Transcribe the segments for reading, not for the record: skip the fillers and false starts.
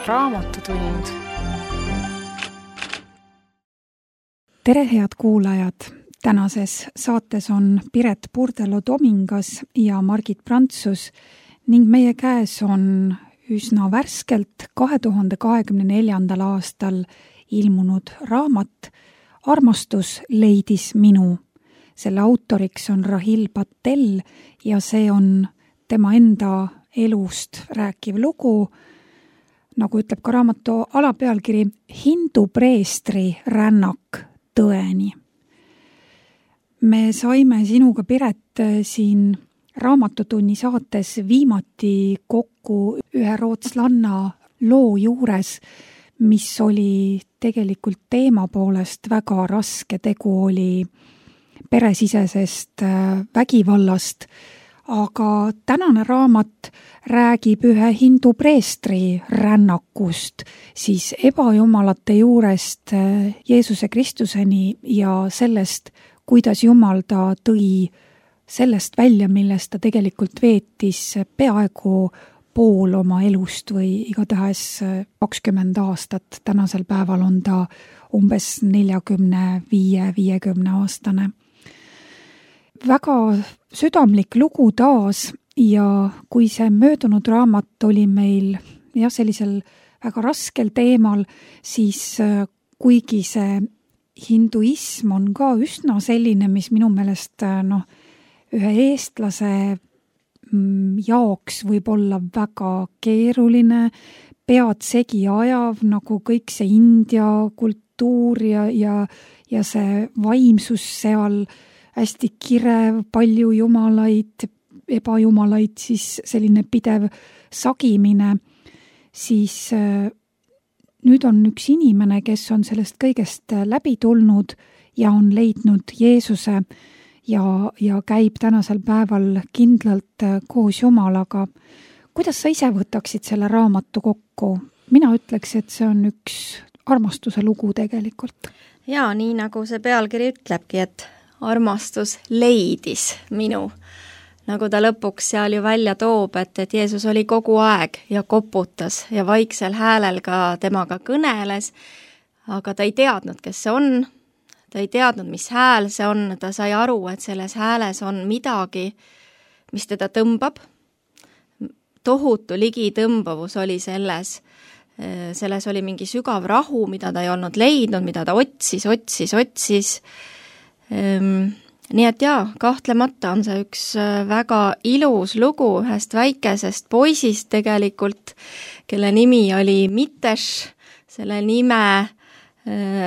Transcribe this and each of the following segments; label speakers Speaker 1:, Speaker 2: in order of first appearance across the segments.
Speaker 1: Raamatutund.
Speaker 2: Tere, head kuulajad! Tänases saates on Piret Purdelo-Tomingas ja Margit Prantsus ning meie käes on üsna värskelt 2024. aastal ilmunud raamat Armastus leidis minu. Selle autoriks on Rahil Patel ja see on tema enda elust rääkiv lugu, nagu ütleb ka raamatu alapealkiri, Hindu preestri rännak tõeni. Me saime sinuga, Piret, siin Raamatutunni saates viimati kokku ühe rootslanna loo juures, mis oli tegelikult teema poolest väga raske. Tegu oli peresisesest vägivallast, aga tänane raamat räägib ühe hindu preestri rännakust siis ebajumalate juurest Jeesuse Kristuseni ja sellest, kuidas Jumal ta tõi sellest välja, millest ta tegelikult veetis peaaegu pool oma elust või igatahes 20 aastat. Tänasel päeval on ta umbes 45-50 aastane. Väga südamlik lugu taas ja kui see möödunud raamat oli meil sellisel väga raskel teemal, siis kuigi see hinduism on ka üsna selline, mis minu meelest ühe eestlase jaoks võib olla väga keeruline, pead segi ajav, nagu kõik see India kultuur ja see vaimsus seal, hästi kirev, palju jumalaid, ebajumalaid, siis selline pidev sagimine, siis nüüd on üks inimene, kes on sellest kõigest läbi tulnud ja on leidnud Jeesuse ja käib tänasel päeval kindlalt koos Jumalaga. Kuidas sa ise võtaksid selle raamatu kokku? Mina ütleks, et see on üks armastuse lugu tegelikult.
Speaker 3: Jaa, nii nagu see pealkiri ütlebki, et armastus leidis minu. Nagu ta lõpuks seal ju välja toob, et Jeesus oli kogu aeg ja koputas ja vaiksel häälel ka temaga kõneles, aga ta ei teadnud, kes see on. Ta ei teadnud, mis hääl see on. Ta sai aru, et selles hääles on midagi, mis teda tõmbab. Tohutu ligitõmbavus oli selles. Selles oli mingi sügav rahu, mida ta ei olnud leidnud, mida ta otsis. Nii et kahtlemata on see üks väga ilus lugu ühest väikesest poisist tegelikult, kelle nimi oli Mitesh, selle nime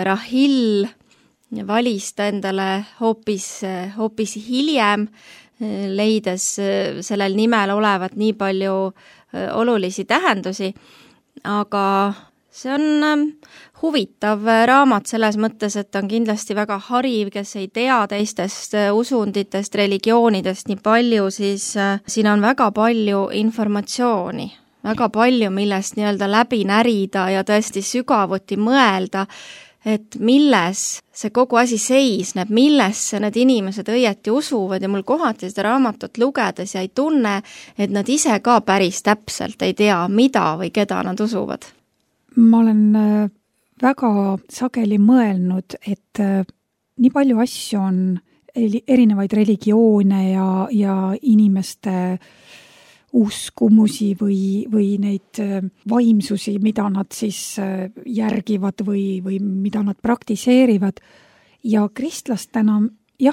Speaker 3: Rahil valis ta endale hoopis hiljem, leides sellel nimel olevat nii palju olulisi tähendusi, aga see on huvitav raamat selles mõttes, et on kindlasti väga hariv, kes ei tea teistest usunditest, religioonidest nii palju, siis siin on väga palju informatsiooni, väga palju, millest nii-öelda läbi närida ja tõesti sügavuti mõelda, et milles see kogu asi seisneb, millesse need inimesed õieti usuvad ja mul kohati seda raamatut lugedes ja ei tunne, et nad ise ka päris täpselt ei tea, mida või keda nad usuvad.
Speaker 2: Ma olen väga sageli mõelnud, et nii palju asju on erinevaid religioone ja inimeste uskumusi või neid vaimsusi, mida nad siis järgivad või mida nad praktiseerivad. Ja kristlastena,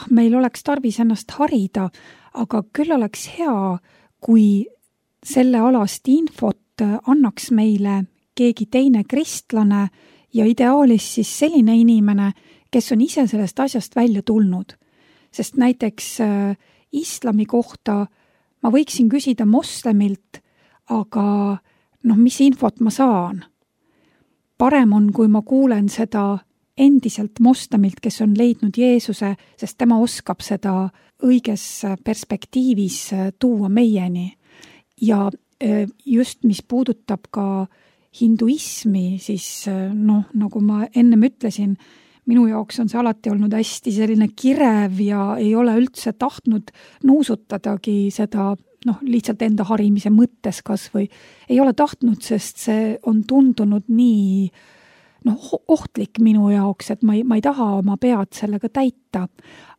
Speaker 2: meil oleks tarvis ennast harida, aga küll oleks hea, kui selle alast infot annaks meile keegi teine kristlane ja ideaalis siis selline inimene, kes on ise sellest asjast välja tulnud. Sest näiteks islami kohta ma võiksin küsida moslemilt, aga mis infot ma saan? Parem on, kui ma kuulen seda endiselt moslemilt, kes on leidnud Jeesuse, sest tema oskab seda õiges perspektiivis tuua meieni. Ja just mis puudutab ka hinduismi, siis nagu ma ennem ütlesin, minu jaoks on see alati olnud hästi selline kirev ja ei ole üldse tahtnud nuusutadagi seda lihtsalt enda harimise mõttes kas või ei ole tahtnud, sest see on tundunud nii ohtlik minu jaoks, et ma ei taha oma pead sellega täita.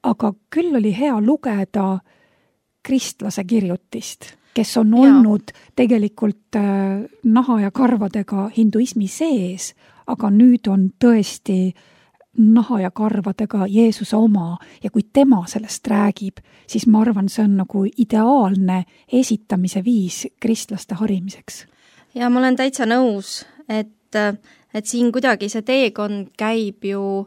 Speaker 2: Aga küll oli hea lugeda kristlase kirjutist, kes on olnud tegelikult naha ja karvadega hinduismi sees, aga nüüd on tõesti naha ja karvadega Jeesuse oma ja kui tema sellest räägib, siis ma arvan, see on nagu ideaalne esitamise viis kristlaste harimiseks.
Speaker 3: Ja ma olen täitsa nõus, et siin kuidagi see teekond käib ju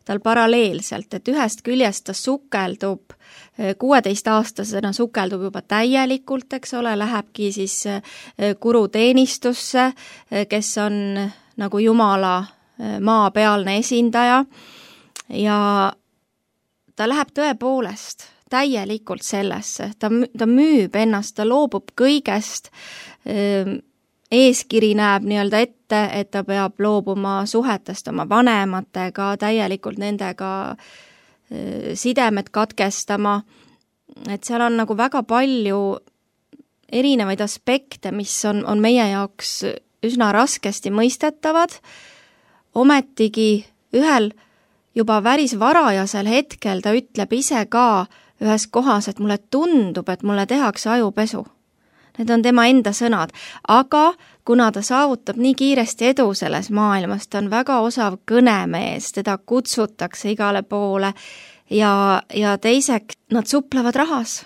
Speaker 3: tal paralleelselt, et ühest küljest ta sukeldub, 16-aastasena sukeldub juba täielikult, eks ole, lähebki siis kuruteenistusse, kes on nagu Jumala maapealne esindaja ja ta läheb tõepoolest täielikult sellesse, ta müüb ennast, ta loobub kõigest, eeskiri näeb nii-öelda ette, et ta peab loobuma suhetest oma vanematega, täielikult nendega sidemed katkestama, et seal on nagu väga palju erinevaid aspekte, mis on meie jaoks üsna raskesti mõistetavad, ometigi ühel juba päris varajasel hetkel ta ütleb ise ka ühes kohas, et mulle tundub, et mulle tehakse ajupesu. Need on tema enda sõnad, aga kuna ta saavutab nii kiiresti edu selles maailmas, ta on väga osav kõnemees, teda kutsutakse igale poole ja teiseks nad suplevad rahas,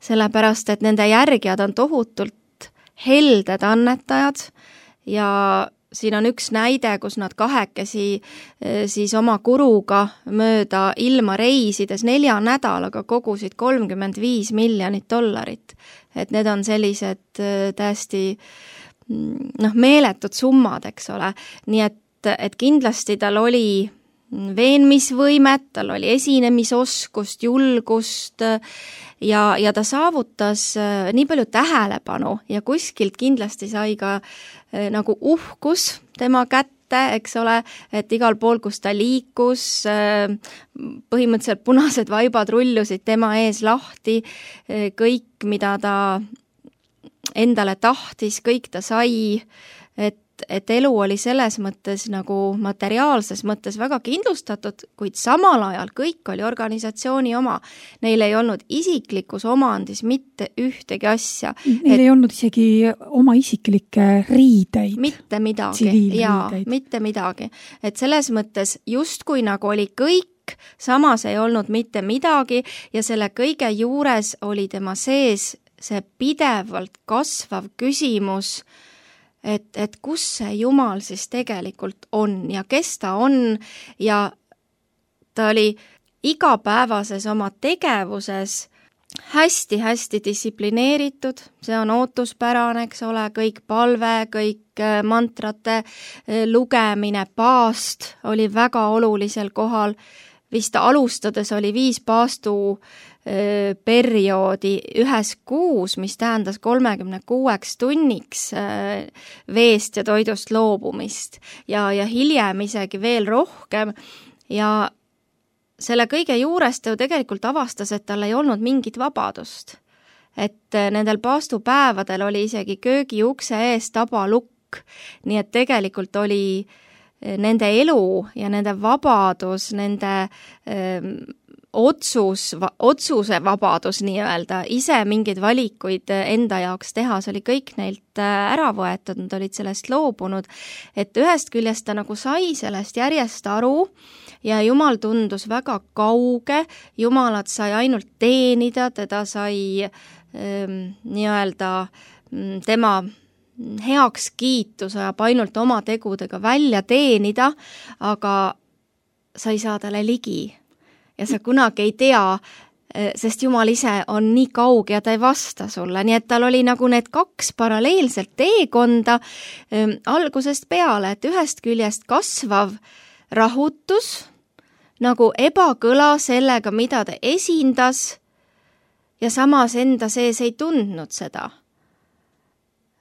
Speaker 3: sellepärast et nende järgijad on tohutult helded annetajad ja siin on üks näide, kus nad kahekesi siis oma kuruga mööda ilma reisides 4 nädalaga kogusid $35 miljonit. Et need on sellised täiesti meeletud summad, eks ole. Nii et kindlasti tal oli veenmisvõimet, tal oli esinemisoskust, julgust ja ta saavutas nii palju tähelepanu ja kuskilt kindlasti sai ka nagu uhkus tema kätte, eks ole, et igal pool, kus ta liikus, põhimõtteliselt punased vaibad rullusid tema ees lahti, kõik, mida ta endale tahtis, kõik ta sai, et elu oli selles mõttes nagu materiaalses mõttes väga kindlustatud, kuid samal ajal kõik oli organisatsiooni oma. Neil ei olnud isiklikus omandis mitte ühtegi asja.
Speaker 2: Neil ei olnud isegi oma isiklikke riideid.
Speaker 3: Mitte midagi. Mitte midagi. Et selles mõttes justkui nagu oli kõik, samas ei olnud mitte midagi ja selle kõige juures oli tema sees see pidevalt kasvav küsimus, et kus see Jumal siis tegelikult on ja kes ta on ja ta oli igapäevases oma tegevuses hästi-hästi distsiplineeritud, see on ootuspärane, eks ole, kõik palve, kõik mantrate lugemine, paast oli väga olulisel kohal, vist alustades oli 5 paastu perioodi ühes kuus, mis tähendas 36 tunniks veest ja toidust loobumist ja hiljem isegi veel rohkem ja selle kõige juures ta ju tegelikult avastas, et tal ei olnud mingit vabadust. Et nendel paastupäevadel oli isegi köögiukse ees tabalukk, nii et tegelikult oli nende elu ja nende vabadus, nende otsuse vabadus nii-öelda, ise mingeid valikuid enda jaoks teha, see oli kõik neilt ära võetud, nad olid sellest loobunud, et ühest küljest ta nagu sai sellest järjest aru ja Jumal tundus väga kauge, Jumalat sai ainult teenida, teda sai nii-öelda tema heaks kiitus ajab ainult oma tegudega välja teenida, aga sa ei saa talle ligi. Ja sa kunagi ei tea, sest Jumal ise on nii kauge ja ta ei vasta sulle, nii et tal oli nagu need 2 paralleelselt teekonda algusest peale, et ühest küljest kasvav rahutus, nagu ebakõla sellega, mida ta esindas ja samas enda sees ei tundnud seda.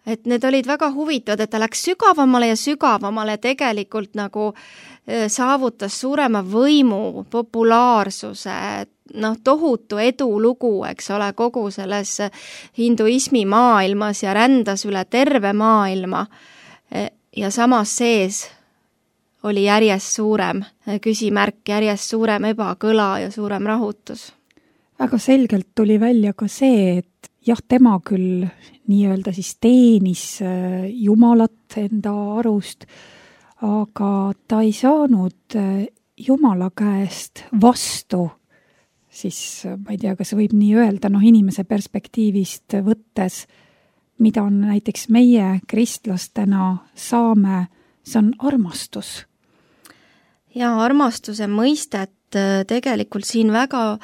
Speaker 3: Et need olid väga huvitavad, et ta läks sügavamale ja sügavamale tegelikult nagu saavutas suurema võimu, populaarsuse, tohutu edulugu, eks ole, kogu selles hinduismi maailmas ja rändas üle terve maailma ja samas sees oli järjest suurem küsimärk, järjest suurem ebakõla ja suurem rahutus.
Speaker 2: Väga selgelt tuli välja ka see, et jah, tema küll nii-öelda siis teenis Jumalat enda arust, aga ta ei saanud Jumala käest vastu, siis ma ei tea, kas võib nii öelda, inimese perspektiivist võttes, mida on näiteks meie kristlastena saame, see on armastus.
Speaker 3: Ja armastuse mõistet tegelikult siin väga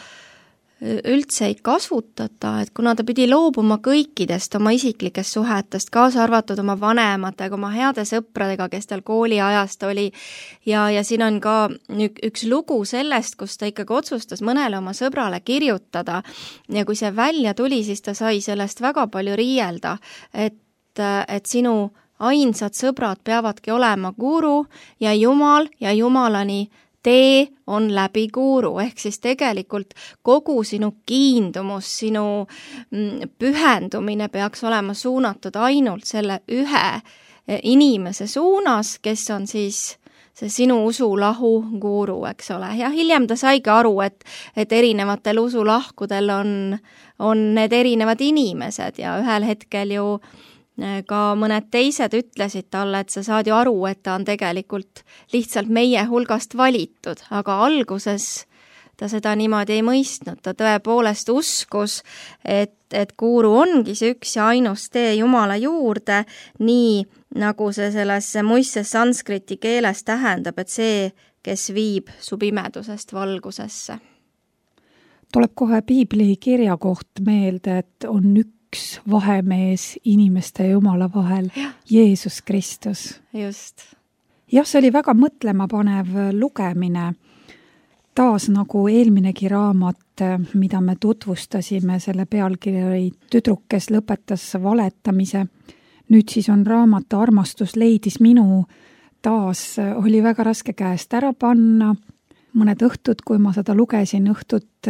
Speaker 3: üldse ei kasutata, et kuna ta pidi loobuma kõikidest oma isiklikest suhetest, kaasa arvatud oma vanematega, oma heade sõpradega, kes tal kooliajast oli ja siin on ka üks lugu sellest, kus ta ikkagi otsustas mõnele oma sõbrale kirjutada ja kui see välja tuli, siis ta sai sellest väga palju riielda, et sinu ainsad sõbrad peavadki olema guru ja jumalani tee on läbi guru, ehk siis tegelikult kogu sinu kiindumus, sinu pühendumine peaks olema suunatud ainult selle ühe inimese suunas, kes on siis see sinu usulahu guru, eks ole. Ja hiljem ta saigi aru, et erinevatel usulahkudel on need erinevad inimesed ja ühel hetkel ju ka mõned teised ütlesid talle, et sa saad ju aru, et ta on tegelikult lihtsalt meie hulgast valitud, aga alguses ta seda niimoodi ei mõistnud. Ta tõepoolest uskus, et guru ongi see üks ja ainus tee Jumala juurde, nii nagu see selles muistses sanskriti keeles tähendab, et see, kes viib su pimedusest valgusesse.
Speaker 2: Tuleb kohe piibli kirjakoht meelde, et on üks vahemees inimeste ja Jumala vahel, Jeesus Kristus.
Speaker 3: Just.
Speaker 2: Jah, see oli väga mõtlemapanev lugemine. Taas nagu eelminegi raamat, mida me tutvustasime, selle pealkiri Tüdruk, kes lõpetas valetamise. Nüüd siis on raamat Armastus leidis minu. Taas oli väga raske käest ära panna. Mõned õhtud, kui ma seda lugesin, õhtud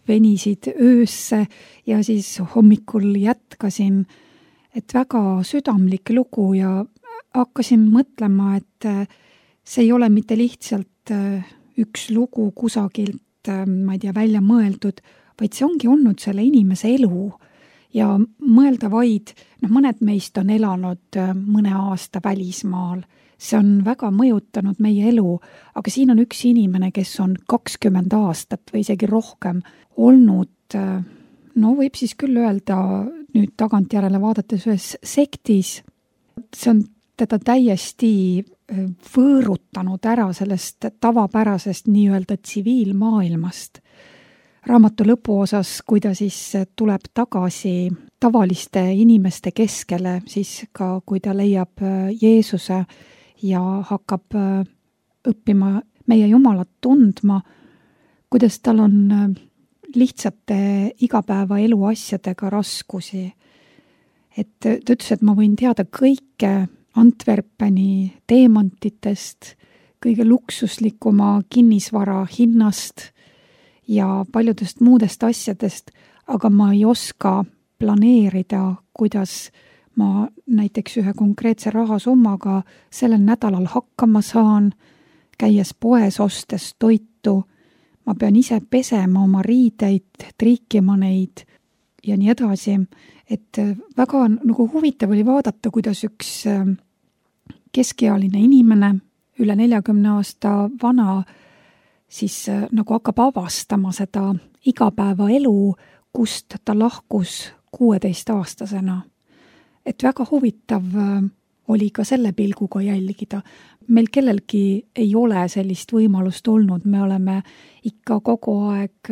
Speaker 2: venisid öösse ja siis hommikul jätkasin, et väga südamlik lugu ja hakkasin mõtlema, et see ei ole mitte lihtsalt üks lugu kusagilt, ma ei tea, välja mõeldud, vaid see ongi olnud selle inimese elu ja mõelda vaid, mõned meist on elanud mõne aasta välismaal. See on väga mõjutanud meie elu, aga siin on üks inimene, kes on 20 aastat või isegi rohkem olnud, võib siis küll öelda nüüd tagantjärele vaadates ühes sektis. See on teda täiesti võõrutanud ära sellest tavapärasest nii-öelda tsiviilmaailmast. Raamatu lõpuosas, kui ta siis tuleb tagasi tavaliste inimeste keskele, siis ka kui ta leiab Jeesuse ja hakkab õppima meie Jumalat tundma, kuidas tal on lihtsate igapäevaelu asjadega raskusi. Et ta ütles, et ma võin teada kõike Antwerpeni teemantitest, kõige luksuslikuma kinnisvara hinnast ja paljudest muudest asjadest, aga ma ei oska planeerida, kuidas ma näiteks ühe konkreetse rahasummaga sellel nädalal hakkama saan, käies poes ostes toitu, ma pean ise pesema oma riideid, triikima neid ja nii edasi. Et väga nagu huvitav oli vaadata, kuidas üks keskealine inimene, üle 40 aasta vana, siis nagu hakkab avastama seda igapäevaelu, kust ta lahkus 16-aastasena. Et väga huvitav oli ka selle pilguga jälgida. Meil kellelgi ei ole sellist võimalust olnud, me oleme ikka kogu aeg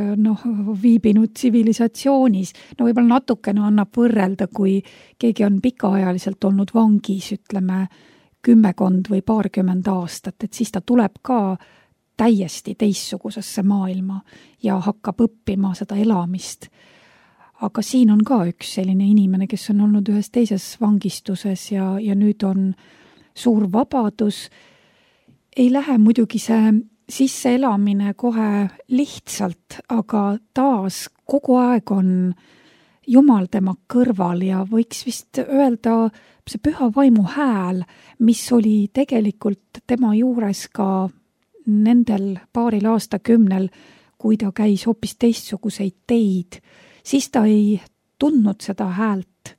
Speaker 2: viibinud tsivilisatsioonis. Võib-olla natukene annab võrrelda, kui keegi on pikaajaliselt olnud vangis, ütleme 10 või 20 aastat, et siis ta tuleb ka täiesti teistsugusesse maailma ja hakkab õppima seda elamist. Aga siin on ka üks selline inimene, kes on olnud ühes teises vangistuses ja nüüd on suur vabadus. Ei lähe muidugi see sisseelamine kohe lihtsalt, aga taas kogu aeg on Jumal tema kõrval ja võiks vist öelda see püha vaimu hääl, mis oli tegelikult tema juures ka nendel paaril aastakümnel, kui ta käis hoopis teistsuguseid teid, siis ta ei tundnud seda häält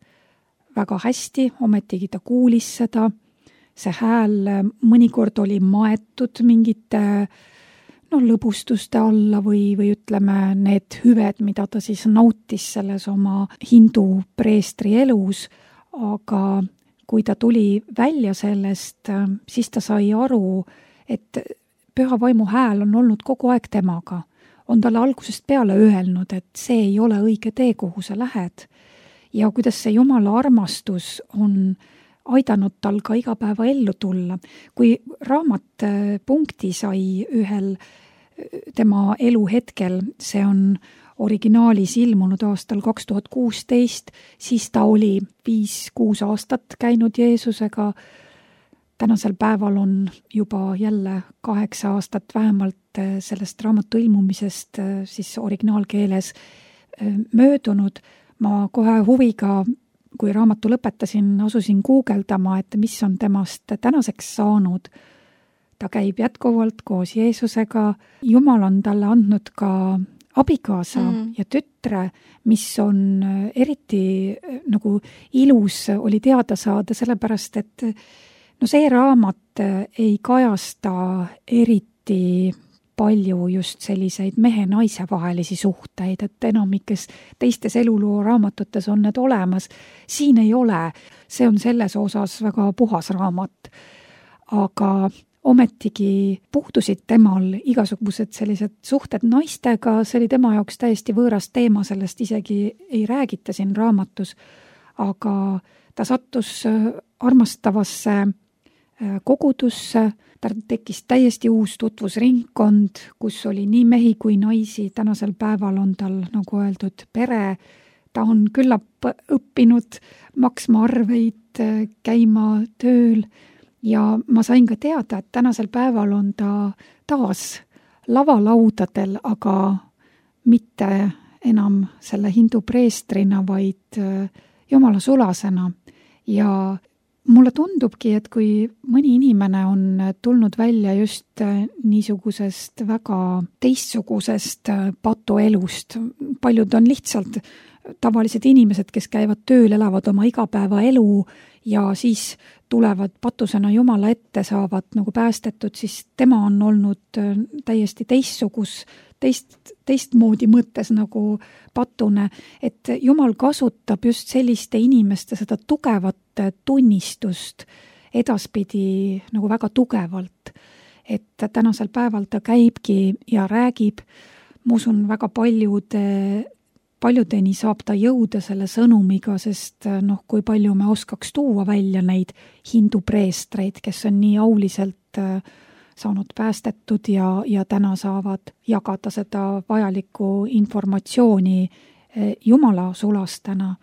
Speaker 2: väga hästi, ometigi ta kuulis seda. See hääl mõnikord oli maetud mingite lõbustuste alla või ütleme need hüved, mida ta siis nautis selles oma hindu preestri elus, aga kui ta tuli välja sellest, siis ta sai aru, et püha vaimu hääl on olnud kogu aeg temaga. On talle algusest peale öelnud, et see ei ole õige tee, kuhu sa lähed. Ja kuidas see Jumala armastus on aidanud tal ka iga päeva ellu tulla. Kui raamat punkti sai ühel tema elu hetkel, see on originaalis ilmunud aastal 2016, siis ta oli 5-6 aastat käinud Jeesusega. Tänasel päeval on juba jälle 8 aastat vähemalt sellest raamatu ilmumisest siis originaalkeeles möödunud. Ma kohe huviga, kui raamatu lõpetasin, asusin guugeldama, et mis on temast tänaseks saanud. Ta käib jätkuvalt koos Jeesusega. Jumal on talle andnud ka abikaasa ja tütre, mis on eriti nagu ilus oli teada saada, sellepärast et see raamat ei kajasta eriti palju just selliseid mehe-naise vahelisi suhteid, et enamikes teistes eluloo raamatutes on need olemas. Siin ei ole, see on selles osas väga puhas raamat, aga ometigi puhtusid temal igasugused sellised suhted naistega, see oli tema jaoks täiesti võõras teema, sellest isegi ei räägita siin raamatus, aga ta sattus armastavasse kogudusse, ta tekkis täiesti uus tutvusringkond, kus oli nii mehi kui naisi, tänasel päeval on tal, nagu öeldud, pere, ta on küllap õppinud maksma arveid, käima tööl ja ma sain ka teada, et tänasel päeval on ta taas lavalaudadel, aga mitte enam selle hindu preestrina, vaid Jumala sulasena ja mulle tundubki, et kui mõni inimene on tulnud välja just niisugusest väga teistsugusest patuelust, paljud on lihtsalt tavalised inimesed, kes käivad tööl, elavad oma igapäevaelu ja siis tulevad patusena Jumala ette, saavad nagu päästetud, siis tema on olnud täiesti teistmoodi mõttes nagu patune, et Jumal kasutab just selliste inimeste seda tugevat tunnistust edaspidi nagu väga tugevalt, et tänasel päeval ta käibki ja räägib, ma usun väga paljudeni saab ta jõuda selle sõnumiga, sest kui palju me oskaks tuua välja neid hindu preestreid, kes on nii auliselt saanud päästetud ja täna saavad jagada seda vajalikku informatsiooni Jumala sulastena.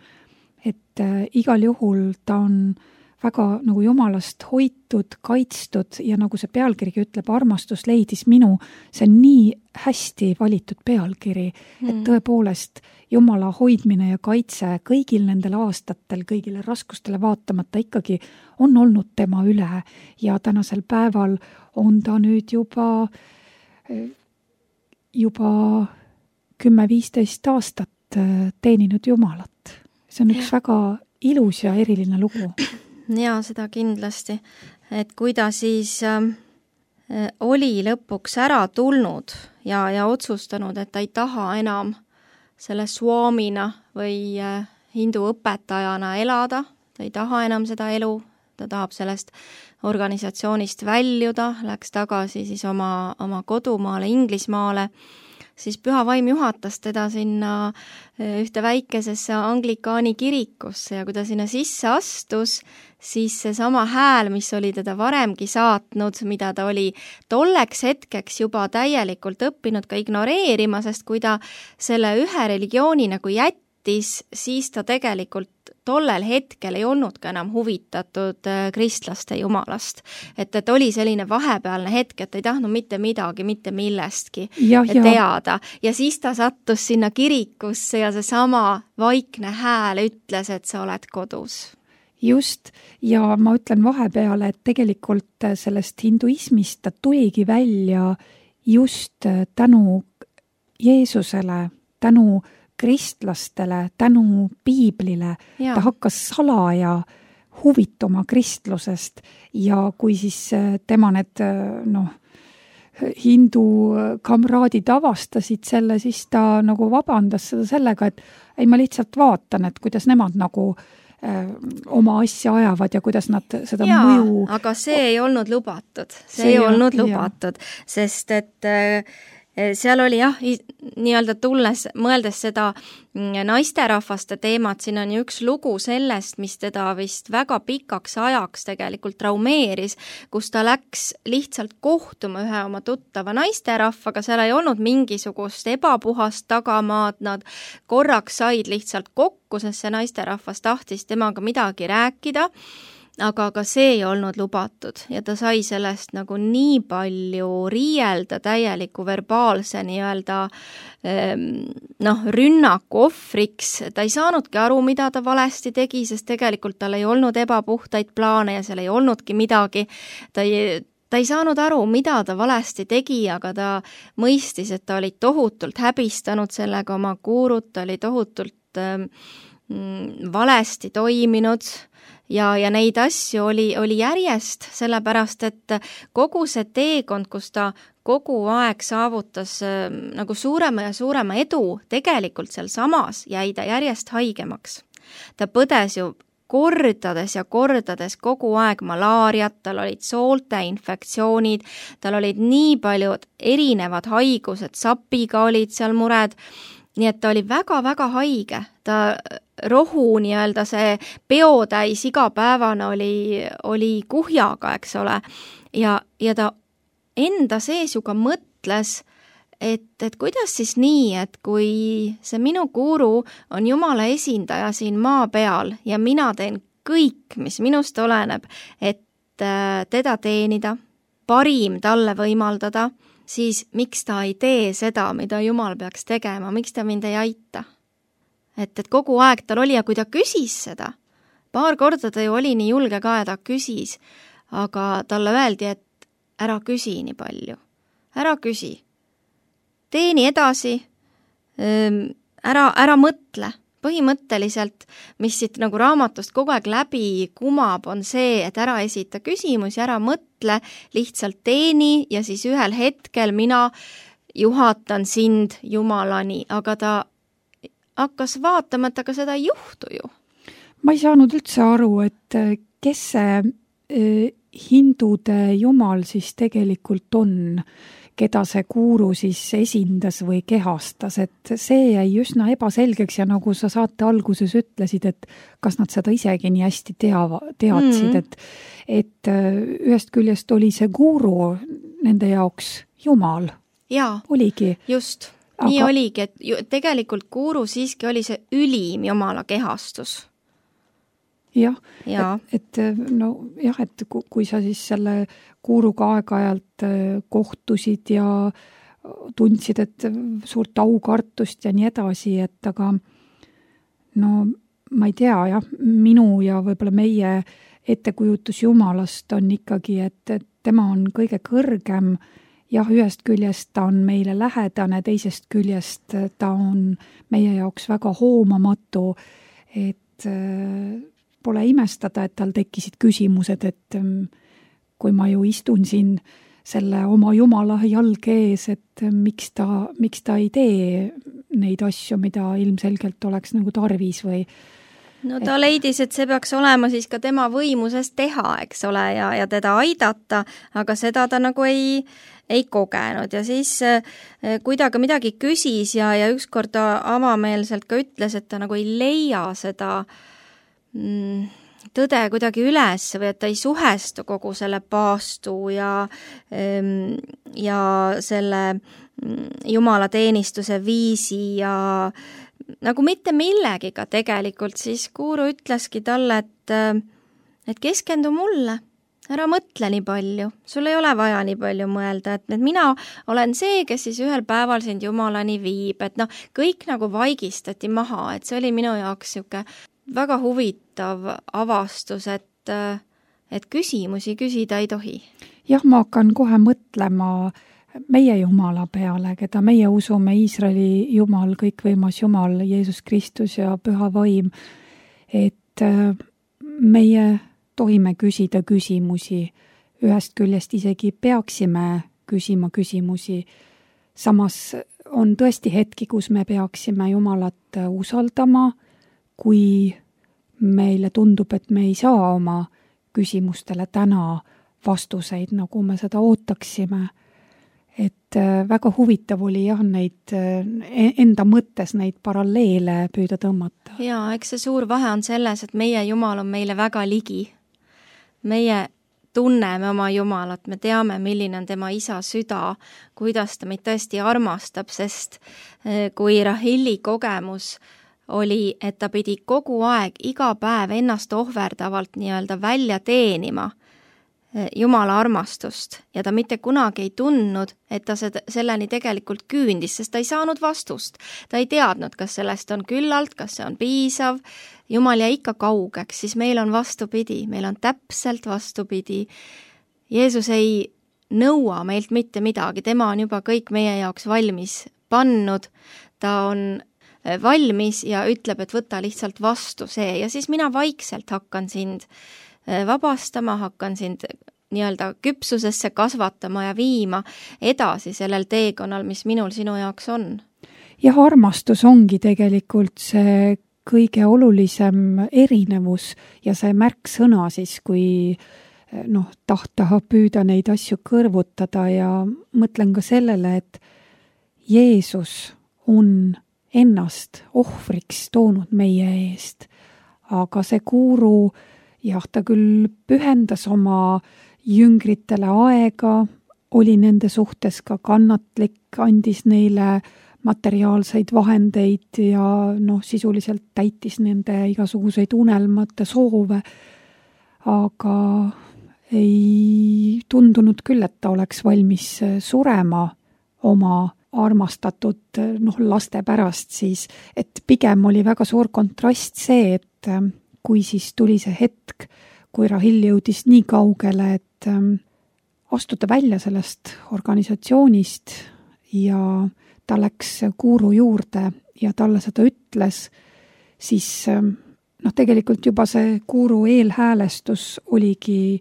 Speaker 2: Et igal juhul ta on väga nagu Jumalast hoitud, kaitstud ja nagu see pealkirigi ütleb, armastus leidis minu, see on nii hästi valitud pealkiri, et tõepoolest Jumala hoidmine ja kaitse kõigil nendel aastatel, kõigile raskustele vaatamata ikkagi on olnud tema üle ja tänasel päeval on ta nüüd juba 10-15 aastat teeninud Jumalat. See on üks väga ilus ja eriline lugu.
Speaker 3: Ja seda kindlasti, et kui ta siis oli lõpuks ära tulnud ja otsustanud, et ta ei taha enam selle swamina või hindu õpetajana elada, ta ei taha enam seda elu, ta tahab sellest organisatsioonist väljuda, läks tagasi siis oma kodumaale, Inglismaale, siis Püha Vaim juhatas teda sinna ühte väikesesse anglikaani kirikusse ja kui ta sinna sisse astus, siis seesama hääl, mis oli teda varemgi saatnud, mida ta oli tolleks hetkeks juba täielikult õppinud ka ignoreerima, sest kui ta selle ühe religiooni nagu jättis, siis ta tegelikult tollel hetkel ei olnud ka enam huvitatud kristlaste jumalast. Et oli selline vahepealne hetk, et ei tahtnud mitte midagi, mitte millestki teada. Ja siis ta sattus sinna kirikusse ja seesama vaikne hääl ütles, et sa oled kodus.
Speaker 2: Just, ja ma ütlen vahepeale, et tegelikult sellest hinduismist ta tuligi välja just tänu Jeesusele, tänu kristlastele, tänu piiblile. Ja. Ta hakkas salaja huvituma kristlusest ja kui siis tema need hindu kamraadid avastasid selle, siis ta nagu vabandas seda sellega, et ei, ma lihtsalt vaatan, et kuidas nemad nagu oma asja ajavad ja kuidas nad seda mõju...
Speaker 3: aga see ei olnud lubatud. See ei olnud lubatud, sest et seal oli nii-öelda mõeldes seda naisterahvaste teemat, siin on ju üks lugu sellest, mis teda vist väga pikaks ajaks tegelikult traumeeris, kus ta läks lihtsalt kohtuma ühe oma tuttava naisterahvaga, seal ei olnud mingisugust ebapuhast tagamaad, nad korraks said lihtsalt kokku, sest see naisterahvas tahtis temaga midagi rääkida, aga see ei olnud lubatud ja ta sai sellest nagu nii palju riielda täieliku verbaalse nii-öelda rünnaku ohvriks. Ta ei saanudki aru, mida ta valesti tegi, sest tegelikult tal ei olnud ebapuhtaid plaane ja seal ei olnudki midagi. Ta ei saanud aru, mida ta valesti tegi, aga ta mõistis, et ta oli tohutult häbistanud sellega oma guurut, ta oli tohutult valesti toiminud. Ja neid asju oli järjest, sellepärast, et kogu see teekond, kus ta kogu aeg saavutas nagu suurema ja suurema edu, tegelikult seal samas jäi ta järjest haigemaks. Ta põdes ju kordades ja kordades kogu aeg malaariat, tal olid soolte infektsioonid, tal olid nii paljud erinevad haigused, sapiga olid seal mured, nii et ta oli väga-väga haige, ta rohu nii-öelda see peotäis igapäevane oli kuhjaga, eks ole, ja ta enda sees ju ka mõtles, et kuidas siis nii, et kui see minu guru on Jumala esindaja siin maa peal ja mina teen kõik, mis minust oleneb, et teda teenida, parim talle võimaldada, siis miks ta ei tee seda, mida Jumal peaks tegema, miks ta mind ei aita? Et kogu aeg tal oli ja kui ta küsis seda, paar korda ta ju oli nii julge ka ja ta küsis, aga talle öeldi, et ära küsi nii palju, ära küsi, teeni edasi, ära mõtle. Põhimõtteliselt, mis siit nagu raamatust kogu aeg läbi kumab, on see, et ära esita küsimusi, ära mõtle, lihtsalt teeni ja siis ühel hetkel mina juhatan sind Jumalani, aga ta hakkas vaatama, et aga seda ei juhtu ju.
Speaker 2: Ma ei saanud üldse aru, et kes see hindude jumal siis tegelikult on, keda see guru siis esindas või kehastas, et see jäi üsna ebaselgeks ja nagu sa saate alguses ütlesid, et kas nad seda isegi nii hästi teadsid, et ühest küljest oli see guru nende jaoks jumal.
Speaker 3: Jaa,
Speaker 2: oligi.
Speaker 3: Just. Nii oligi, et tegelikult guru siiski oli see ülim Jumala kehastus.
Speaker 2: Jah, et kui sa siis selle guruga aeg-ajalt kohtusid ja tundsid, et suurt aukartust ja nii edasi, et aga ma ei tea, minu ja võib-olla meie ettekujutus Jumalast on ikkagi, et tema on kõige kõrgem. Jah, ühest küljest ta on meile lähedane, teisest küljest ta on meie jaoks väga hoomamatu, et pole imestada, et tal tekkisid küsimused, et kui ma ju istun siin selle oma Jumala jalge ees, et miks ta ei tee neid asju, mida ilmselgelt oleks nagu tarvis või...
Speaker 3: No ta leidis, et see peaks olema siis ka tema võimuses teha, eks ole, ja teda aidata, aga seda ta nagu ei kogenud ja siis kui ta ka midagi küsis ja ükskord ta avameelselt ka ütles, et ta nagu ei leia seda tõde kuidagi üles või et ta ei suhestu kogu selle paastu ja selle Jumala teenistuse viisi ja nagu mitte millegiga tegelikult, siis Guru ütleski talle, et keskendu mulle, ära mõtle nii palju, sul ei ole vaja nii palju mõelda, et mina olen see, kes siis ühel päeval sind Jumalani viib, et kõik nagu vaigistati maha, et see oli minu jaoks siuke väga huvitav avastus, et küsimusi küsida ei tohi.
Speaker 2: Jah, ma hakkan kohe mõtlema meie Jumala peale, keda meie usume, Iisraeli Jumal, kõikvõimas Jumal, Jeesus Kristus ja Püha Vaim, et meie tohime küsida küsimusi, ühest küljest isegi peaksime küsima küsimusi. Samas on tõesti hetki, kus me peaksime Jumalat usaldama, kui meile tundub, et me ei saa oma küsimustele täna vastuseid, nagu me seda ootaksime. Et väga huvitav oli jah, neid enda mõttes neid paralleele püüda tõmmata.
Speaker 3: Jaa, eks see suur vahe on selles, et meie Jumal on meile väga ligi. Meie tunneme oma Jumalat, me teame, milline on tema isa süda, kuidas ta meid tõesti armastab, sest kui Rahili kogemus oli, et ta pidi kogu aeg, iga päev ennast ohverdavalt nii-öelda välja teenima Jumala armastust ja ta mitte kunagi ei tundnud, et ta selleni tegelikult küündis, sest ta ei saanud vastust. Ta ei teadnud, kas sellest on küllalt, kas see on piisav. Jumal jäi ikka kaugeks, siis meil on vastupidi, meil on täpselt vastupidi. Jeesus ei nõua meilt mitte midagi, tema on juba kõik meie jaoks valmis pannud, ta on valmis ja ütleb, et võta lihtsalt vastu see ja siis mina vaikselt hakkan sind vabastama, hakkan sind nii-öelda küpsusesse kasvatama ja viima edasi sellel teekonnal, mis minul sinu jaoks on.
Speaker 2: Jah, armastus ongi tegelikult see kõige olulisem erinevus ja see märksõna siis, kui tahta püüda neid asju kõrvutada ja mõtlen ka sellele, et Jeesus on ennast ohvriks toonud meie eest, aga see Guru jah, ta küll pühendas oma jüngritele aega, oli nende suhtes ka kannatlik, andis neile materiaalseid vahendeid ja sisuliselt täitis nende igasuguseid unelmate soove, aga ei tundunud küll, et ta oleks valmis surema oma armastatud laste pärast siis, et pigem oli väga suur kontrast see, et kui siis tuli see hetk, kui Rahil jõudis nii kaugele, et astuda välja sellest organisatsioonist ja ta läks Guru juurde ja talle seda ütles, siis tegelikult juba see Guru eelhäälestus oligi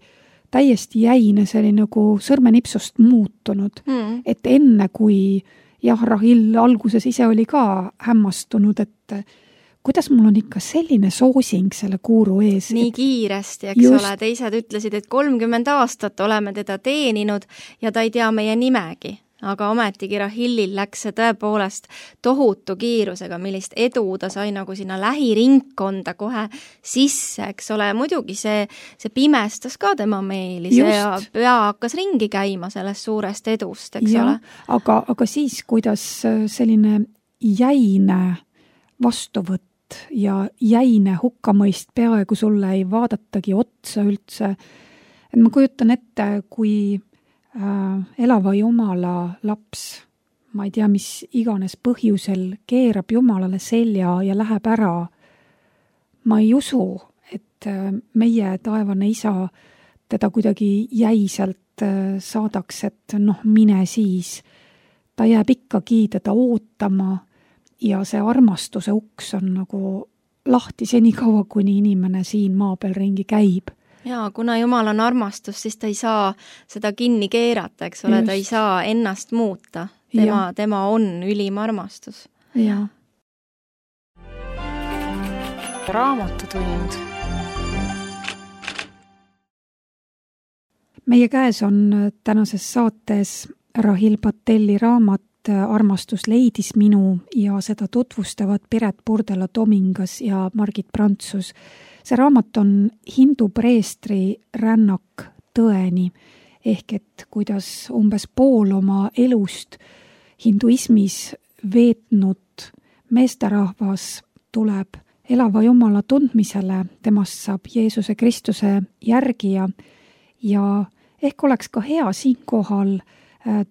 Speaker 2: täiesti jäine, see oli nagu sõrmenipsust muutunud. Et enne kui Rahil alguses ise oli ka hämmastunud, et kuidas mul on ikka selline soosing selle Guru ees.
Speaker 3: Nii kiiresti, eks ole, teised ütlesid, et 30 aastat oleme teda teeninud ja ta ei tea meie nimegi. Aga ometigi Rahilil läks see tõepoolest tohutu kiirusega, millist edu ta sai nagu sinna lähiringkonda kohe sisse, eks ole. Muidugi see pimestas ka tema meeli ja pea hakkas ringi käima sellest suurest edust, eks ole.
Speaker 2: Aga siis, kuidas selline jäine vastuvõtt ja jäine hukkamõist peaaegu sulle ei vaadatagi otsa üldse. Et ma kujutan ette, kui elava Jumala laps, ma ei tea, mis iganes põhjusel keerab Jumalale selja ja läheb ära. Ma ei usu, et meie taevane isa teda kuidagi jäisalt saadaks, et mine siis. Ta jääb ikkagi teda ootama ja see armastuse uks on nagu lahti senikaua, kuni inimene siin maa peal ringi käib.
Speaker 3: Jaa, kuna Jumal on armastus, siis ta ei saa seda kinni keerata, eks ole, ta ei saa ennast muuta. Tema on ülim armastus.
Speaker 2: Jaa.
Speaker 1: Raamatutund.
Speaker 2: Meie käes on tänases saates Rahil Patelli raamat Armastus leidis minu ja seda tutvustavad Piret Purdela-Tomingas ja Margit Prantsus. See raamat on hindu preestri rännak tõeni, ehk et kuidas umbes pool oma elust hinduismis veetnud meesterahvas tuleb elava Jumala tundmisele, temast saab Jeesuse Kristuse järgija ja ehk oleks ka hea siinkohal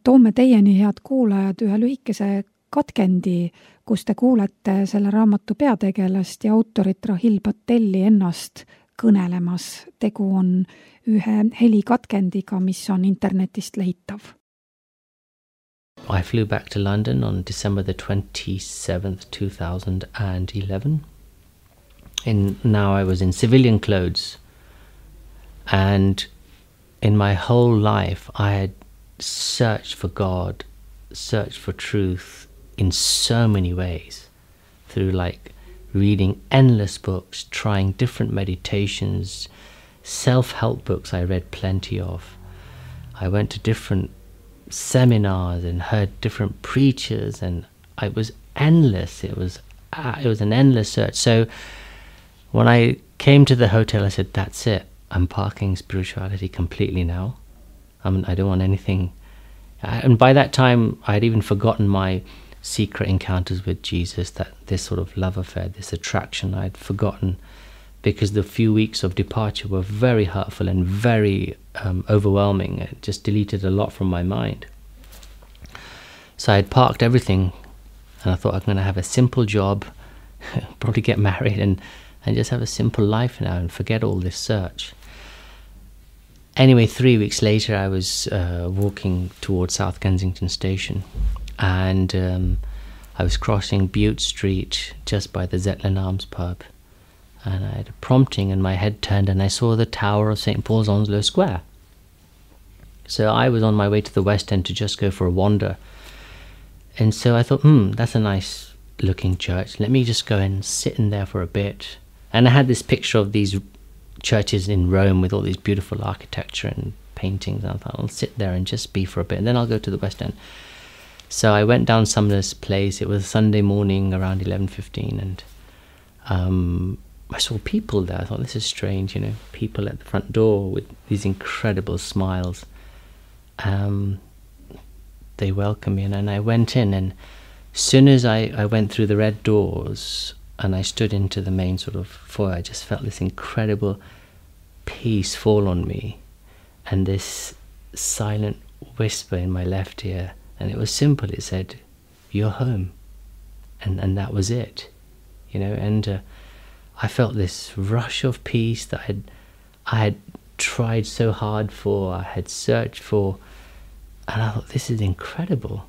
Speaker 2: toome teieni, head kuulajad, ühe lühikese katkendi, kus te kuulete selle raamatu peategelast ja autorit Rahil Patelli ennast kõnelemas. Tegu on ühe helikatkendiga, mis on internetist leitav.
Speaker 1: I flew back to London on December the 27th, 2011. And now I was in civilian clothes. And in my whole life, I had searched for God, searched for truth in so many ways. Through like reading endless books, trying different meditations, self-help books I read plenty of. I went to different seminars and heard different preachers, and it was endless. It was an endless search. So when I came to the hotel, I said, that's it. I'm parking spirituality completely now. I don't want anything. And by that time, I had even forgotten my secret encounters with Jesus, that this sort of love affair, this attraction, I had forgotten, because the few weeks of departure were very hurtful and very overwhelming. It just deleted a lot from my mind. So I had parked everything, and I thought I'm going to have a simple job, probably get married, and just have a simple life now and forget all this search. Anyway, 3 weeks later, I was walking towards South Kensington Station, and I was crossing Bute Street just by the Zetland Arms pub, and I had a prompting and my head turned and I saw the tower of St. Paul's Onslow Square. So I was on my way to the West End to just go for a wander. And so I thought, that's a nice looking church. Let me just go and sit in there for a bit. And I had this picture of these churches in Rome with all these beautiful architecture and paintings. And I thought, I'll sit there and just be for a bit, and then I'll go to the West End. So I went down Sumner's Place. It was Sunday morning around 11:15, and I saw people there. I thought, this is strange, people at the front door with these incredible smiles. They welcomed me, and I went in, and as soon as I went through the red doors and I stood into the main sort of foyer, I just felt this incredible peace fall on me, and this silent whisper in my left ear, and it was simple. It said, "You're home," and that was it, and I felt this rush of peace that I had tried so hard for, I had searched for, and I thought, this is incredible.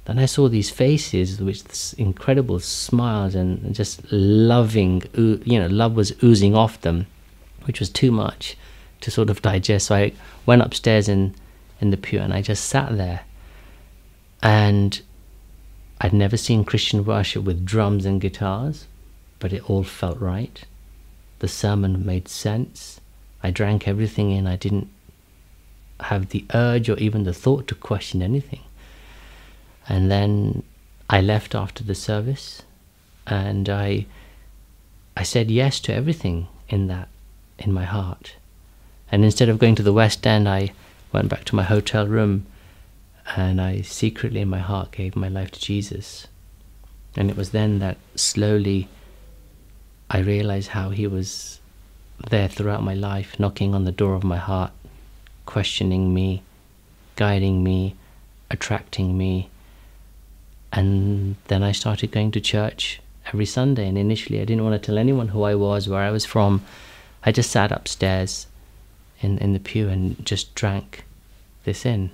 Speaker 1: Then I saw these faces with this incredible smiles and just loving, love was oozing off them, which was too much to sort of digest. So I went upstairs in the pew and I just sat there. And I'd never seen Christian worship with drums and guitars, but it all felt right. The sermon made sense. I drank everything in. I didn't have the urge or even the thought to question anything. And then I left after the service, and I said yes to everything in my heart. And instead of going to the West End, I went back to my hotel room, and I secretly in my heart gave my life to Jesus. And it was then that slowly I realized how he was there throughout my life, knocking on the door of my heart, questioning me, guiding me, attracting me. And then I started going to church every Sunday. And initially I didn't want to tell anyone who I was, where I was from. I just sat upstairs in the pew and just drank this in.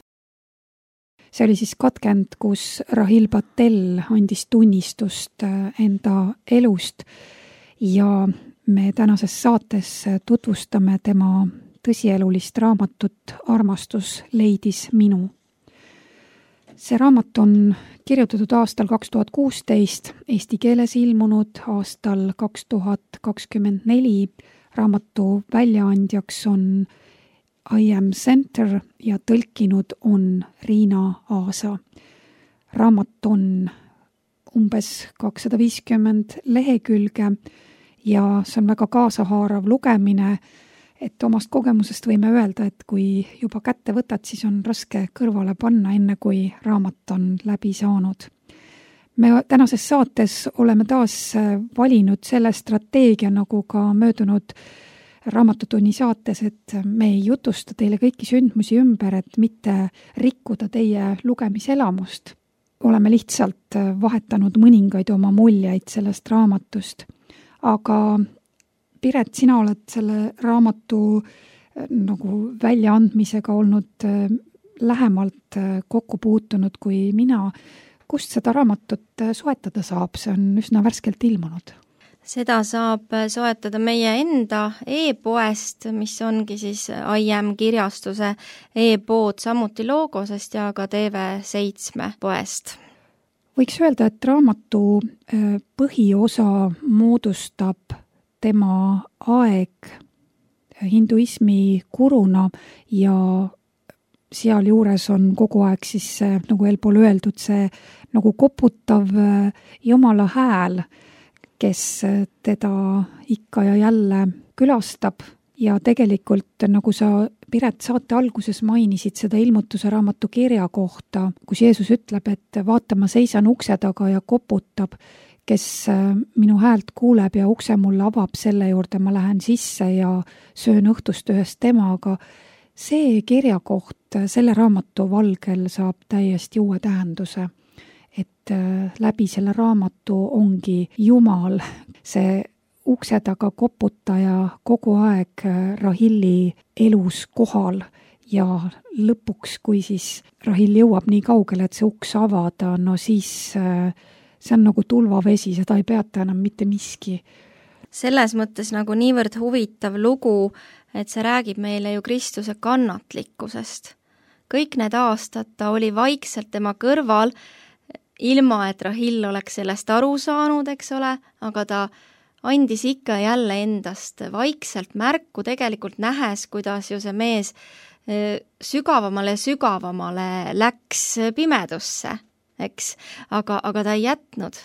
Speaker 2: See oli siis katkend, kus Rahil Patel andis tunnistust enda elust ja me tänases saates tutvustame tema tõsielulist raamatut Armastus leidis minu. See raamat on kirjutatud aastal 2016, eesti keeles ilmunud aastal 2024. Raamatu väljaandjaks on I Am Center ja tõlkinud on Riina Aasa. Raamat on umbes 250 lehekülge ja see on väga kaasahaarav lugemine, et omast kogemusest võime öelda, et kui juba kätte võtad, siis on raske kõrvale panna, enne kui raamat on läbi saanud. me tänases saates oleme taas valinud selle strateegia, nagu ka möödunud Raamatutunni saates, et me ei jutusta teile kõiki sündmusi ümber, et mitte rikkuda teie lugemiselamust. Oleme lihtsalt vahetanud mõningaid oma muljeid sellest raamatust. Aga Piret, sina oled selle raamatu nagu väljaandmisega olnud lähemalt kokku puutunud kui mina. Kust seda raamatut soetada saab? See on üsna värskelt ilmunud.
Speaker 3: Seda saab soetada meie enda e-poest, mis ongi siis IM kirjastuse e-pood, samuti Logosest ja ka TV7 poest.
Speaker 2: Võiks öelda, et raamatu põhiosa moodustab tema aeg hinduismi guruna ja sealjuures on kogu aeg siis, nagu eelpool öeldud, see nagu koputav Jumala hääl, kes teda ikka ja jälle külastab ja tegelikult, nagu sa, Piret, saate alguses mainisid seda ilmutuse raamatu kirja kohta, kus Jeesus ütleb, et vaata, ma seisan ukse taga ja koputab, kes minu häält kuuleb ja ukse mulle avab, selle juurde ma lähen sisse ja söön õhtust ühest temaga. See kirjakoht selle raamatu valgel saab täiesti uue tähenduse, et läbi selle raamatu ongi Jumal, see ukse taga koputaja kogu aeg Rahilli elus kohal ja lõpuks, kui siis Rahill jõuab nii kaugele, et see uks avada, no siis see on nagu tulvavesi, seda ei peata enam mitte miski.
Speaker 3: Selles mõttes nagu niivõrd huvitav lugu, et see räägib meile ju Kristuse kannatlikkusest. Kõik need aastad ta oli vaikselt tema kõrval, ilma et Rahill oleks sellest aru saanud, eks ole, aga ta andis ikka jälle endast vaikselt märku, tegelikult nähes, kuidas ju see mees sügavamale ja sügavamale läks pimedusse, eks, aga ta ei jätnud.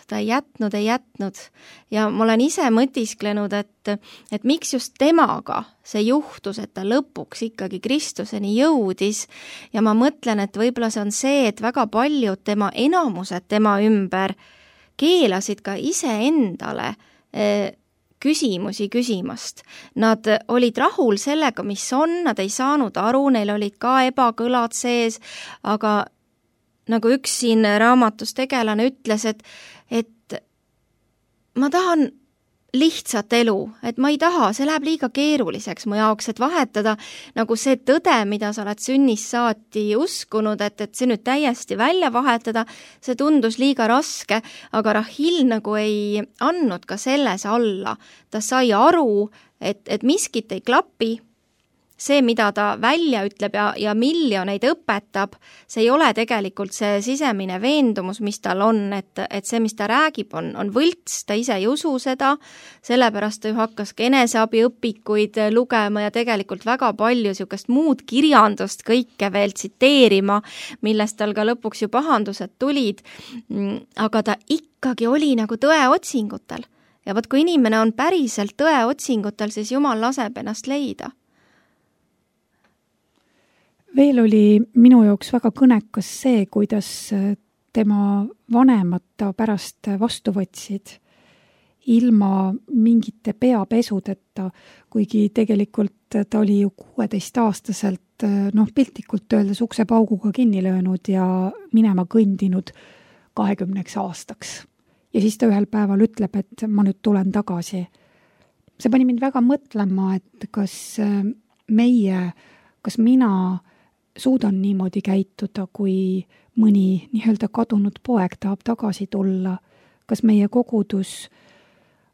Speaker 3: Ja ma olen ise mõtisklenud, et miks just temaga see juhtus, et ta lõpuks ikkagi Kristuseni jõudis ja ma mõtlen, et võib-olla see on see, et väga paljud enamused tema ümber keelasid ka iseendale küsimusi küsimast. Nad olid rahul sellega, mis on, nad ei saanud aru, neil olid ka ebakõlad sees, aga nagu üks siin raamatus tegelane ütles, et ma tahan lihtsat elu, et ma ei taha, see läheb liiga keeruliseks mu jaoks, et vahetada nagu see tõde, mida sa oled sünnist saati uskunud, et see nüüd täiesti välja vahetada, see tundus liiga raske, aga Rahill nagu ei andnud ka selles alla. Ta sai aru, et miskit ei klapi, see, mida ta välja ütleb ja miljoneid õpetab, see ei ole tegelikult see sisemine veendumus, mis tal on, et see, mis ta räägib, on võlts, ta ise ei usu seda, sellepärast ta ju hakkas ka eneseabiõpikuid lugema ja tegelikult väga palju niisugust muud kirjandust kõike veel tsiteerima, millest tal ka lõpuks ju pahandused tulid, aga ta ikkagi oli nagu tõeotsingutel. Ja võt, kui inimene on päriselt tõeotsingutel, siis Jumal laseb ennast leida.
Speaker 2: Veel oli minu jaoks väga kõnekas see, kuidas tema vanemad ta pärast vastu võtsid ilma mingite peapesudeta, kuigi tegelikult ta oli ju 16-aastaselt, piltlikult öeldes uksepauguga kinni löönud ja minema kõndinud 20 aastaks. Ja siis ta ühel päeval ütleb, et ma nüüd tulen tagasi. See pani mind väga mõtlema, et kas mina suudan niimoodi käituda, kui mõni nii-öelda kadunud poeg tahab tagasi tulla. Kas meie kogudus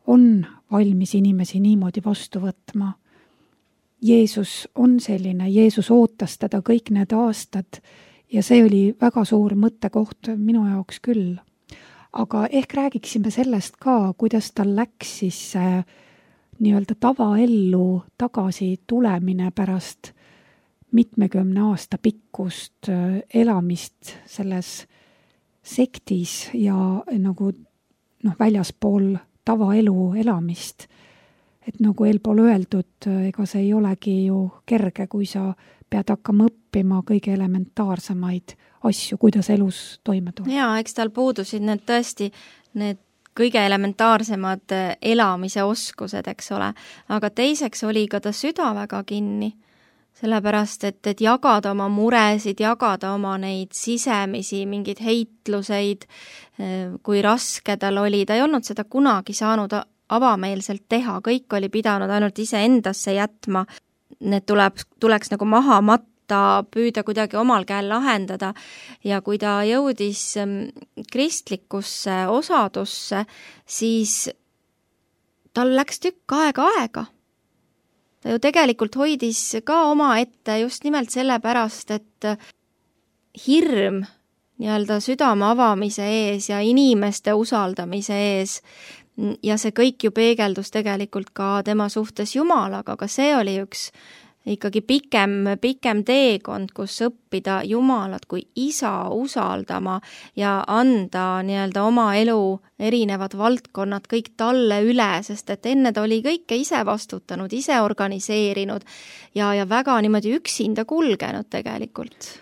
Speaker 2: on valmis inimesi niimoodi vastu võtma? Jeesus on selline, Jeesus ootas teda kõik need aastad ja see oli väga suur mõttekoht minu jaoks küll. Aga ehk räägiksime sellest ka, kuidas tal läks siis nii-öelda tavaellu tagasi tulemine pärast mitmekümne aasta pikkust elamist selles sektis ja nagu väljaspool tavaelu elamist. Et nagu eelpool öeldud, ega see ei olegi ju kerge, kui sa pead hakkama õppima kõige elementaarsemaid asju, kuidas elus toime tulla.
Speaker 3: Jaa, eks tal puudusid need tõesti, need kõige elementaarsemad elamise oskused, eks ole. Aga teiseks oli ka ta süda väga kinni, sellepärast, et jagada oma muresid, jagada oma neid sisemisi, mingeid heitluseid, kui raske tal oli. Ta ei olnud seda kunagi saanud avameelselt teha, kõik oli pidanud ainult ise endasse jätma. Need tuleks nagu maha matta, püüda kuidagi omal käel lahendada ja kui ta jõudis kristlikusse osadusse, siis tal läks tükk aega. Ta ju tegelikult hoidis ka oma ette just nimelt sellepärast, et hirm nii-öelda südame avamise ees ja inimeste usaldamise ees ja see kõik ju peegeldus tegelikult ka tema suhtes Jumalaga, aga see oli üks ikkagi pikem teekond, kus õppida Jumalat kui isa usaldama ja anda nii-öelda oma elu erinevad valdkonnad kõik talle üle, sest et enne ta oli kõike ise vastutanud, ise organiseerinud ja väga niimoodi üksinda kulgenud tegelikult.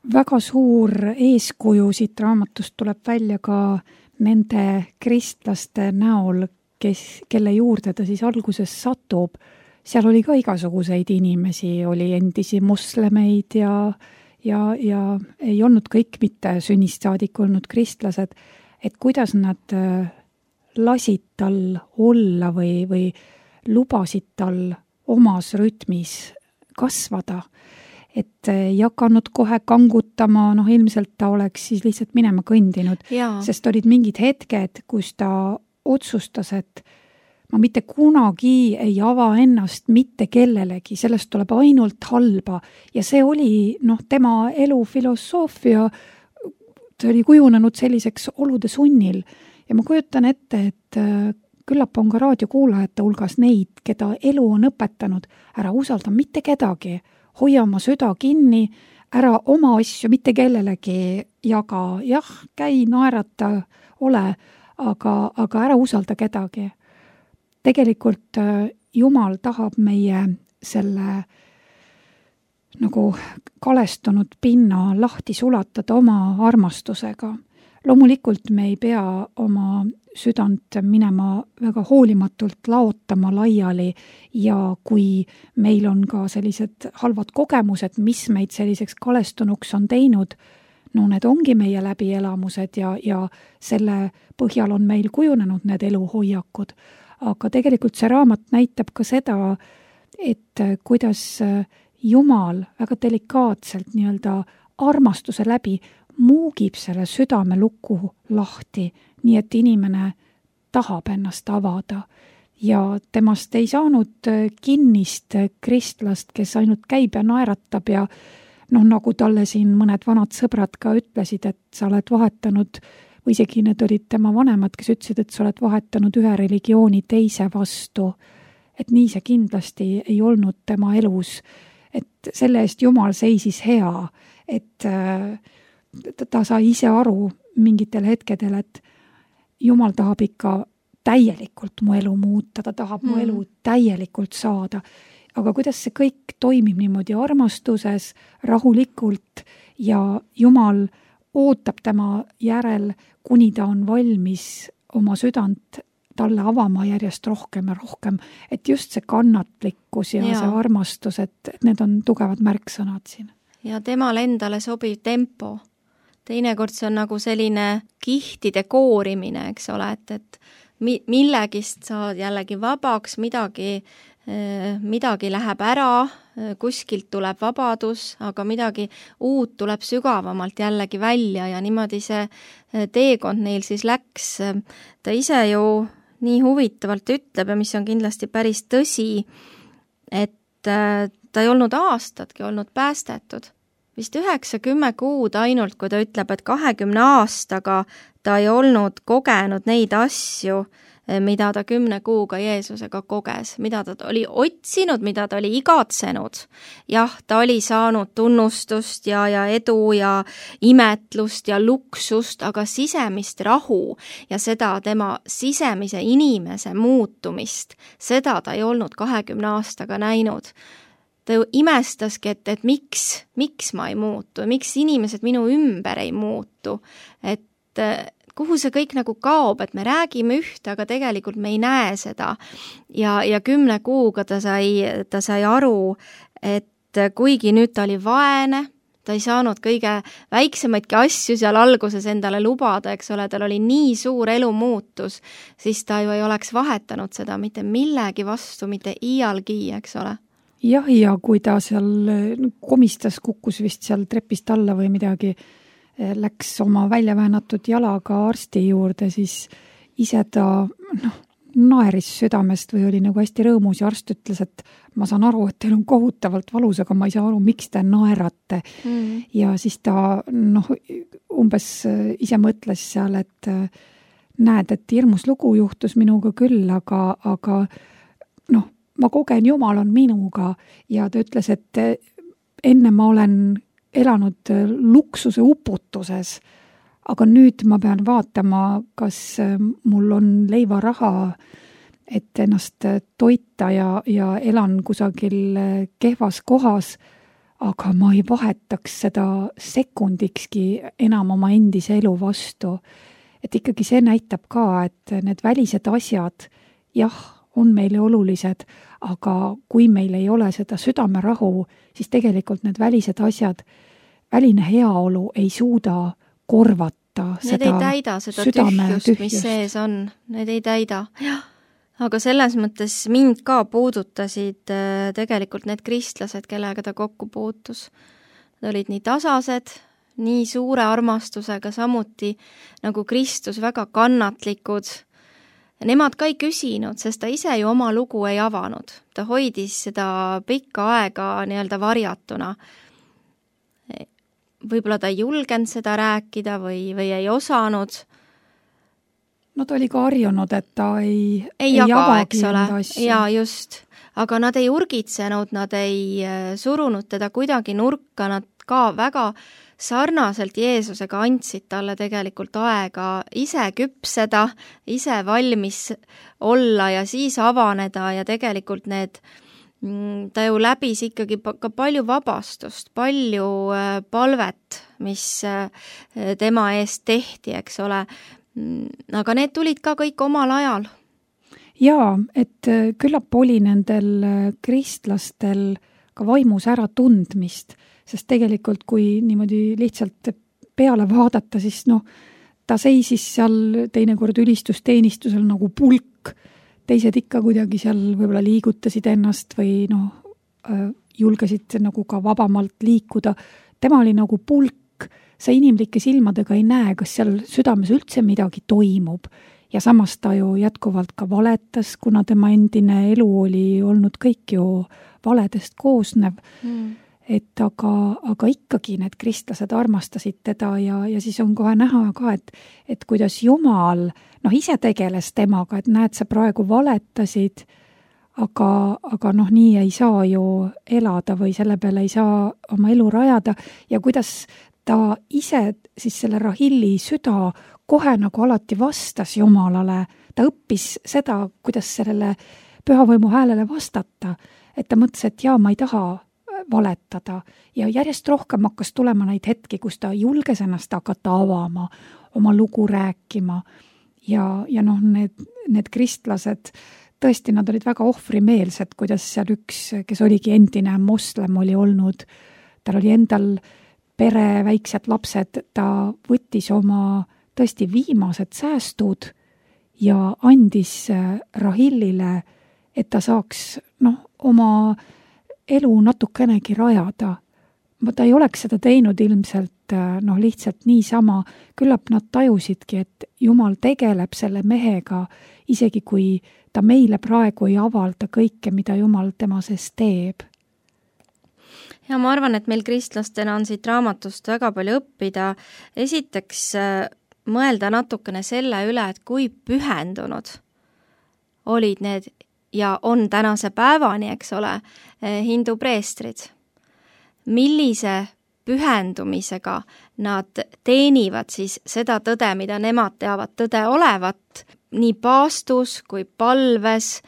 Speaker 2: Väga suur eeskuju siit raamatust tuleb välja ka nende kristlaste näol, kelle juurde ta siis alguses satub. Seal oli ka igasuguseid inimesi, oli endisi moslemeid ja ei olnud kõik mitte sünnist saadik olnud kristlased, et kuidas nad lasid tal olla või lubasid tal omas rütmis kasvada, et ei hakanud kohe kangutama, ilmselt ta oleks siis lihtsalt minema kõndinud, sest olid mingid hetked, kus ta otsustas, et ma mitte kunagi ei ava ennast mitte kellelegi, sellest tuleb ainult halba ja see oli tema elu filosoofia, ta oli kujunenud selliseks olude sunnil ja ma kujutan ette, et küllap on ka raadiokuulajate hulgas neid, keda elu on õpetanud, ära usalda mitte kedagi, hoia oma süda kinni, ära oma asju mitte kellelegi jaga, jah, käi, naerata, ole, aga ära usalda kedagi. Tegelikult Jumal tahab meie selle nagu kalestunud pinna lahti sulatada oma armastusega. Loomulikult me ei pea oma südant minema väga hoolimatult laotama laiali ja kui meil on ka sellised halvad kogemused, mis meid selliseks kalestunuks on teinud, need ongi meie läbielamused ja selle põhjal on meil kujunenud need eluhoiakud. Aga tegelikult see raamat näitab ka seda, et kuidas Jumal väga delikaatselt nii-öelda armastuse läbi muugib selle südame luku lahti, nii et inimene tahab ennast avada. Ja temast ei saanud kinnist kristlast, kes ainult käib ja naeratab ja nagu talle siin mõned vanad sõbrad ka ütlesid, et sa oled vahetanud või isegi need olid tema vanemad, kes ütlesid, et sa oled vahetanud ühe religiooni teise vastu. Et nii see kindlasti ei olnud tema elus. Et selle eest Jumal seisis hea, et ta sai ise aru mingitel hetkedel, et Jumal tahab ikka täielikult mu elu muuta, ta tahab mu elu täielikult saada. Aga kuidas see kõik toimib niimoodi armastuses, rahulikult ja Jumal ootab tema järel, kuni ta on valmis oma südant talle avama järjest rohkem ja rohkem, et just see kannatlikkus ja see armastus, et need on tugevad märksõnad siin.
Speaker 3: Ja temale endale sobiv tempo. Teinekord see on nagu selline kihtide koorimine, eks ole, et millegist saad jällegi vabaks, midagi läheb ära, kuskilt tuleb vabadus, aga midagi uut tuleb sügavamalt jällegi välja ja niimoodi see teekond neil siis läks. Ta ise ju nii huvitavalt ütleb ja mis on kindlasti päris tõsi, et ta ei olnud aastatki olnud päästetud. Vist 9-10 kuud ainult, kui ta ütleb, et 20 aastaga ta ei olnud kogenud neid asju, mida ta 10 kuuga Jeesusega koges, mida ta oli otsinud, mida ta oli igatsenud. Jah, ta oli saanud tunnustust ja edu ja imetlust ja luksust, aga sisemist rahu ja seda tema sisemise inimese muutumist, seda ta ei olnud 20 aastaga näinud. ta ju imestaski, et miks ma ei muutu, miks inimesed minu ümber ei muutu, et kuhu see kõik nagu kaob, et me räägime ühte, aga tegelikult me ei näe seda. Ja 10 kuuga ta sai aru, et kuigi nüüd ta oli vaene, ta ei saanud kõige väiksemaidki asju seal alguses endale lubada, eks ole, tal oli nii suur elumuutus, siis ta ju ei oleks vahetanud seda mitte millegi vastu, mitte iialgi, eks ole.
Speaker 2: Jah, ja kui ta seal komistas, kukkus vist seal trepist alla või midagi, läks oma väljaväänatud jalaga arsti juurde, siis ise ta naeris südamest või oli nagu hästi rõõmus ja arst ütles, et ma saan aru, et teil on kohutavalt valus, aga ma ei saa aru, miks te naerate. Ja siis ta umbes ise mõtles seal, et näed, et hirmus lugu juhtus minuga küll, aga ma kogen, Jumal on minuga ja ta ütles, et enne ma olen elanud luksuse uputuses, aga nüüd ma pean vaatama, kas mul on leivaraha, et ennast toita ja elan kusagil kehvas kohas, aga ma ei vahetaks seda sekundikski enam oma endise elu vastu. Et ikkagi see näitab ka, et need välised asjad, jah, on meile olulised, aga kui meil ei ole seda südamerahu, siis tegelikult need välised asjad, väline heaolu ei suuda korvata
Speaker 3: need ei täida seda tühjust, mis sees on. Need ei täida. Aga selles mõttes mind ka puudutasid tegelikult need kristlased, kellega ta kokku puutus. Nad olid nii tasased, nii suure armastusega, samuti nagu Kristus väga kannatlikud. Nemad ka ei küsinud, sest ta ise ju oma lugu ei avanud. Ta hoidis seda pikka aega nii-öelda varjatuna. Võib-olla ta ei julgenud seda rääkida või ei osanud.
Speaker 2: No ta oli ka harjunud, et ta ei
Speaker 3: jaga, eks ole. Ja just. Aga nad ei urgitsenud, nad ei surunud teda kuidagi nurka, nad ka väga sarnaselt Jeesusega andsid talle tegelikult aega ise küpseda, ise valmis olla ja siis avaneda ja tegelikult ta ju läbis ikkagi ka palju vabastust, palju palvet, mis tema eest tehti, eks ole. Aga need tulid ka kõik omal ajal.
Speaker 2: Jaa, et küllap oli nendel kristlastel ka vaimus ära tundmist, sest tegelikult kui niimoodi lihtsalt peale vaadata, siis ta seisis seal teinekord ülistusteenistusel nagu pulk, teised ikka kuidagi seal võib-olla liigutasid ennast või julgesid nagu ka vabamalt liikuda. Tema oli nagu pulk, sa inimlike silmadega ei näe, kas seal südames üldse midagi toimub. Ja samas ta ju jätkuvalt ka valetas, kuna tema endine elu oli olnud kõik ju valedest koosnev. Et aga ikkagi need kristlased armastasid teda ja siis on kohe näha ka, et kuidas Jumal ise tegeles temaga, et näed, sa praegu valetasid, aga nii ei saa ju elada või selle peale ei saa oma elu rajada ja kuidas ta ise siis selle Rahilli süda kohe nagu alati vastas Jumalale. Ta õppis seda, kuidas sellele pühavõimu häälele vastata, et ta mõtles, et ma ei taha valetada ja järjest rohkem hakkas tulema neid hetki, kus ta julges ennast hakata avama, oma lugu rääkima ja need kristlased, tõesti, nad olid väga ohvrimeelsed, kuidas seal üks, kes oligi endine moslem oli olnud, tal oli endal pere, väiksed lapsed, ta võttis oma tõesti viimased säästud ja andis Rahillile, et ta saaks oma elu natukenegi rajada. Ta ei oleks seda teinud ilmselt lihtsalt niisama. Küllap nad tajusidki, et Jumal tegeleb selle mehega, isegi kui ta meile praegu ei avalda kõike, mida Jumal tema sees teeb.
Speaker 3: Ja ma arvan, et meil kristlastena on siit raamatust väga palju õppida. Esiteks mõelda natukene selle üle, et kui pühendunud olid need ja on tänase päevani, eks ole, hindu preestrid. Millise pühendumisega nad teenivad siis seda tõde, mida nemad teavad tõde olevat, nii paastus kui palves,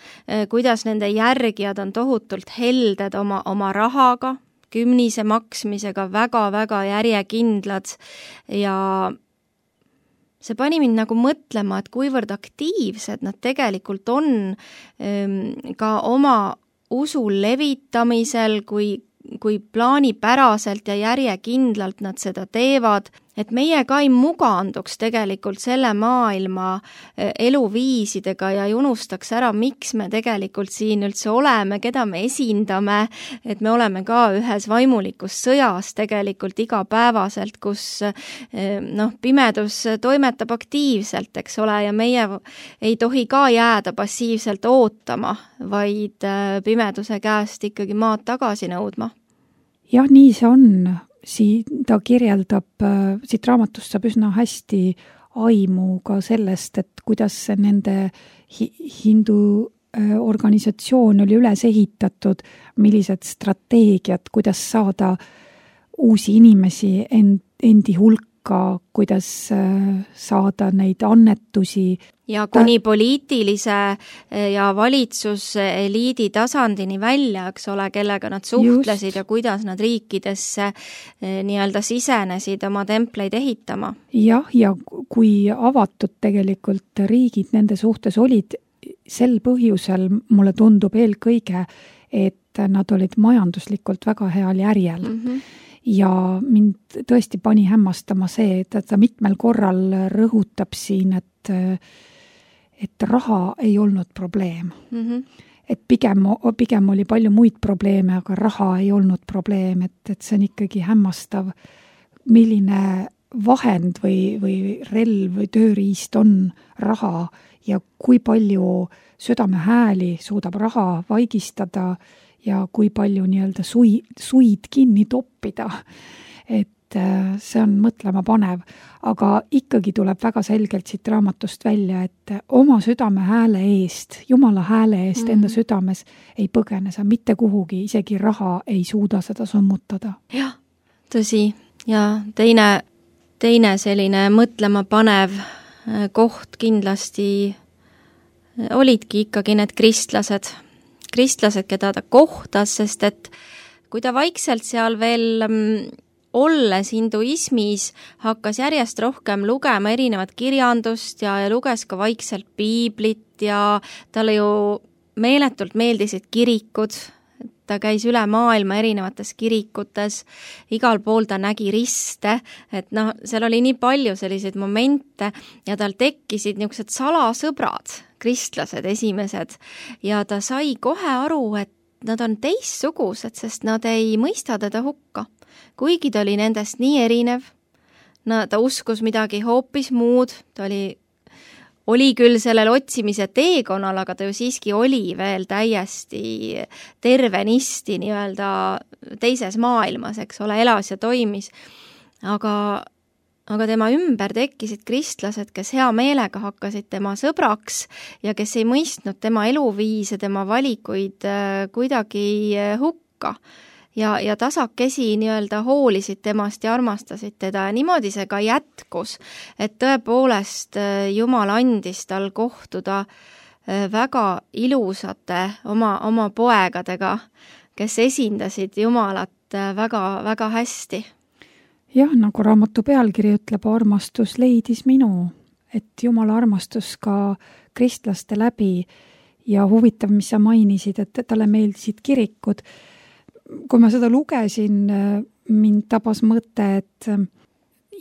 Speaker 3: kuidas nende järgijad on tohutult helded oma rahaga, kümnise maksmisega väga-väga järjekindlad ja see pani mind nagu mõtlema, et kuivõrd aktiivsed nad tegelikult on ka oma usu levitamisel, kui plaanipäraselt ja järjekindlalt nad seda teevad, et meie ka ei muganduks tegelikult selle maailma eluviisidega ja ei unustaks ära, miks me tegelikult siin üldse oleme, keda me esindame, et me oleme ka ühes vaimulikus sõjas tegelikult igapäevaselt, kus pimedus toimetab aktiivselt, eks ole, ja meie ei tohi ka jääda passiivselt ootama, vaid pimeduse käest ikkagi maad tagasi nõudma.
Speaker 2: Jah, nii see on. Ta kirjeldab, siit raamatust saab üsna hästi aimu ka sellest, et kuidas nende hindu organisatsioon oli üles ehitatud, millised strateegiad, kuidas saada uusi inimesi endi hulka, kuidas saada neid annetusi.
Speaker 3: Ja kuni poliitilise ja valitsuseliidi tasandini välja, eks ole, kellega nad suhtlesid just. Ja kuidas nad riikidesse nii-öelda sisenesid oma templeid ehitama.
Speaker 2: Jah, ja kui avatud tegelikult riigid nende suhtes olid, sel põhjusel mulle tundub eelkõige, et nad olid majanduslikult väga heal järjel. Ja mind tõesti pani hämmastama see, et ta mitmel korral rõhutab siin, et raha ei olnud probleem. Et pigem oli palju muid probleeme, aga raha ei olnud probleem, et see on ikkagi hämmastav, milline vahend või relv või tööriist on raha ja kui palju südamehääli suudab raha vaigistada ja kui palju nii-öelda suid kinni toppida. Et see on mõtlema panev, aga ikkagi tuleb väga selgelt siit raamatust välja, et oma südame hääle eest, Jumala hääle eest enda südames ei põgene sa mitte kuhugi, isegi raha ei suuda seda summutada.
Speaker 3: Jah, tõsi. Ja teine selline mõtlema panev koht kindlasti olidki ikkagi need kristlased, keda ta kohtas, sest et kui ta vaikselt seal veel olles hinduismis hakkas järjest rohkem lugema erinevat kirjandust ja luges ka vaikselt piiblit ja talle ju meeletult meeldisid kirikud, ta käis üle maailma erinevates kirikutes, igal pool ta nägi riste, et seal oli nii palju selliseid momente ja tal tekkisid niisugused salasõbrad, kristlased esimesed ja ta sai kohe aru, et nad on teistsugused, sest nad ei mõista teda hukka. Kuigi ta oli nendest nii erinev, ta uskus midagi hoopis muud, ta oli küll sellel otsimise teekonnal, aga ta ju siiski oli veel täiesti tervenisti nii-öelda teises maailmas, eks ole, elas ja toimis. Aga tema ümber tekkisid kristlased, kes hea meelega hakkasid tema sõbraks ja kes ei mõistnud tema eluviise, tema valikuid kuidagi hukka. Ja tasakesi nii-öelda hoolisid temast ja armastasid teda ja niimoodi see ka jätkus, et tõepoolest Jumal andis tal kohtuda väga ilusate oma poegadega, kes esindasid Jumalat väga hästi.
Speaker 2: Jah, nagu raamatu pealkiri ütleb, armastus leidis minu, et Jumala armastus ka kristlaste läbi ja huvitav, mis sa mainisid, et talle meeldisid kirikud. Kui ma seda lugesin, mind tabas mõte, et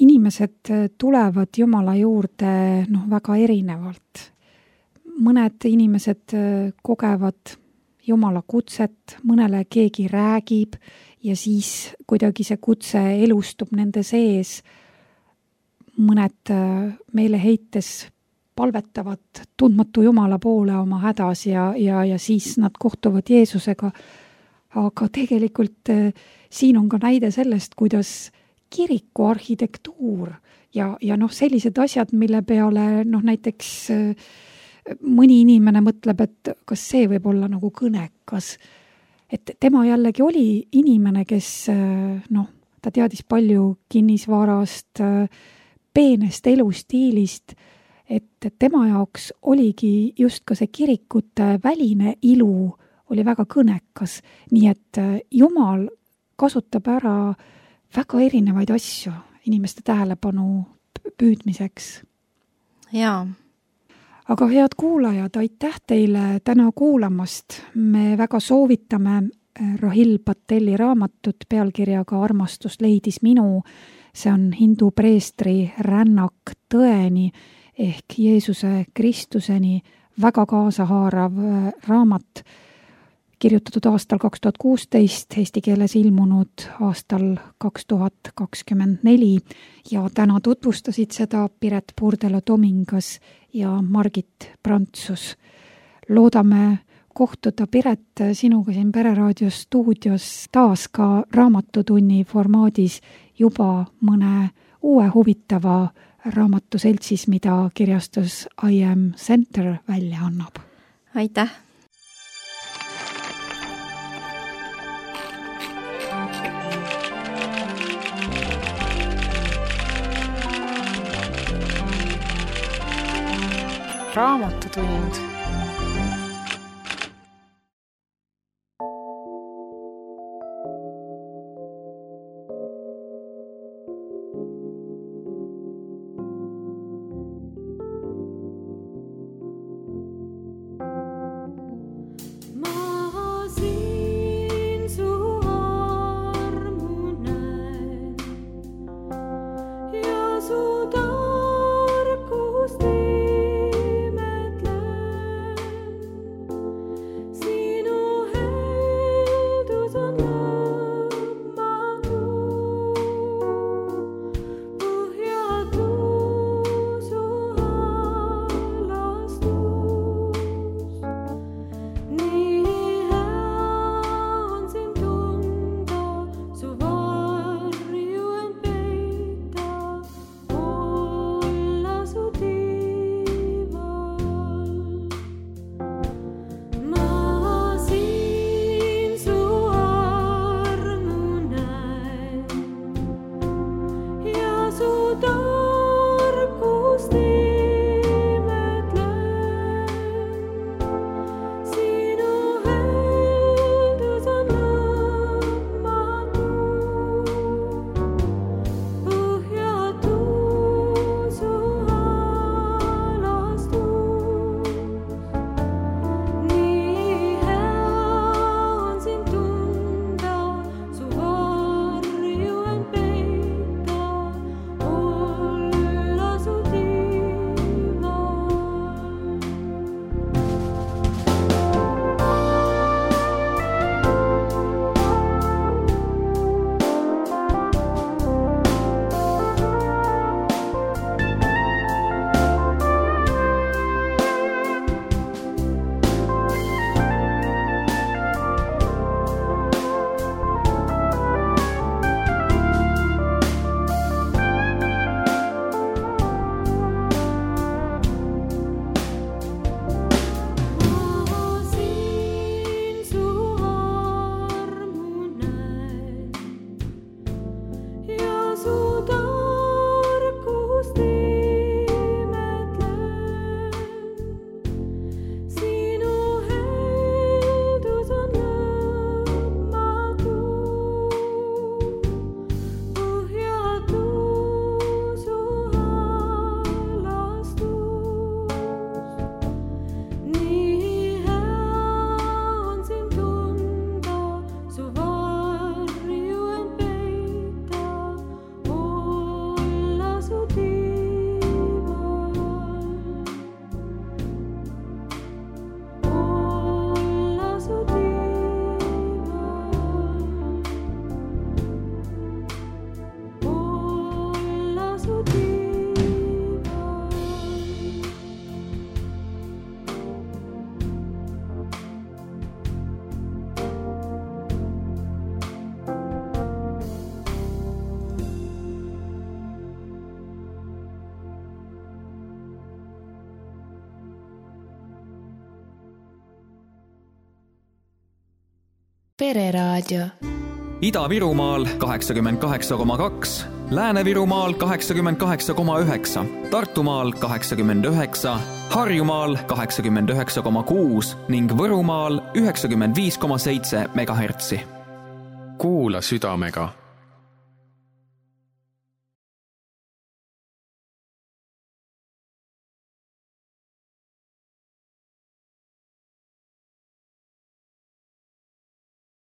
Speaker 2: inimesed tulevad Jumala juurde väga erinevalt. Mõned inimesed kogevad Jumala kutset, mõnele keegi räägib ja siis kuidagi see kutse elustub nende sees. Mõned meeleheites palvetavad tundmatu Jumala poole oma hädas ja siis nad kohtuvad Jeesusega. Aga tegelikult siin on ka näide sellest, kuidas kiriku arhitektuur ja sellised asjad, mille peale näiteks mõni inimene mõtleb, et kas see võib olla nagu kõnekas. Et tema jällegi oli inimene, kes ta teadis palju kinnisvarast, peenest elustiilist, et tema jaoks oligi just ka see kirikute väline ilu oli väga kõnekas, nii et Jumal kasutab ära väga erinevaid asju inimeste tähelepanu püüdmiseks.
Speaker 3: Jaa.
Speaker 2: Aga head kuulajad, aitäh teile täna kuulamast. Me väga soovitame Rahil Patelli raamatut pealkirjaga Armastus leidis minu. See on hindu preestri rännak tõeni ehk Jeesuse Kristuseni väga kaasahaarav raamat, kirjutatud aastal 2016, eesti keeles ilmunud aastal 2024 ja täna tutvustasid seda Piret Purdelo-Tomingas ja Margit Prantsus. Loodame kohtuda, Piret, sinuga siin Pereraadio stuudios taas ka raamatutunni formaadis juba mõne uue huvitava raamatuseltsis, mida kirjastus I Am Center välja annab.
Speaker 3: Aitäh!
Speaker 4: Raamatutund.
Speaker 5: Pereraadio. Ida-Virumaal 88,2, Lääne-Virumaal 88,9, Tartumaal 89, Harjumaal 89,6 ning Võrumaal 95,7 MHz.
Speaker 6: Kuula südamega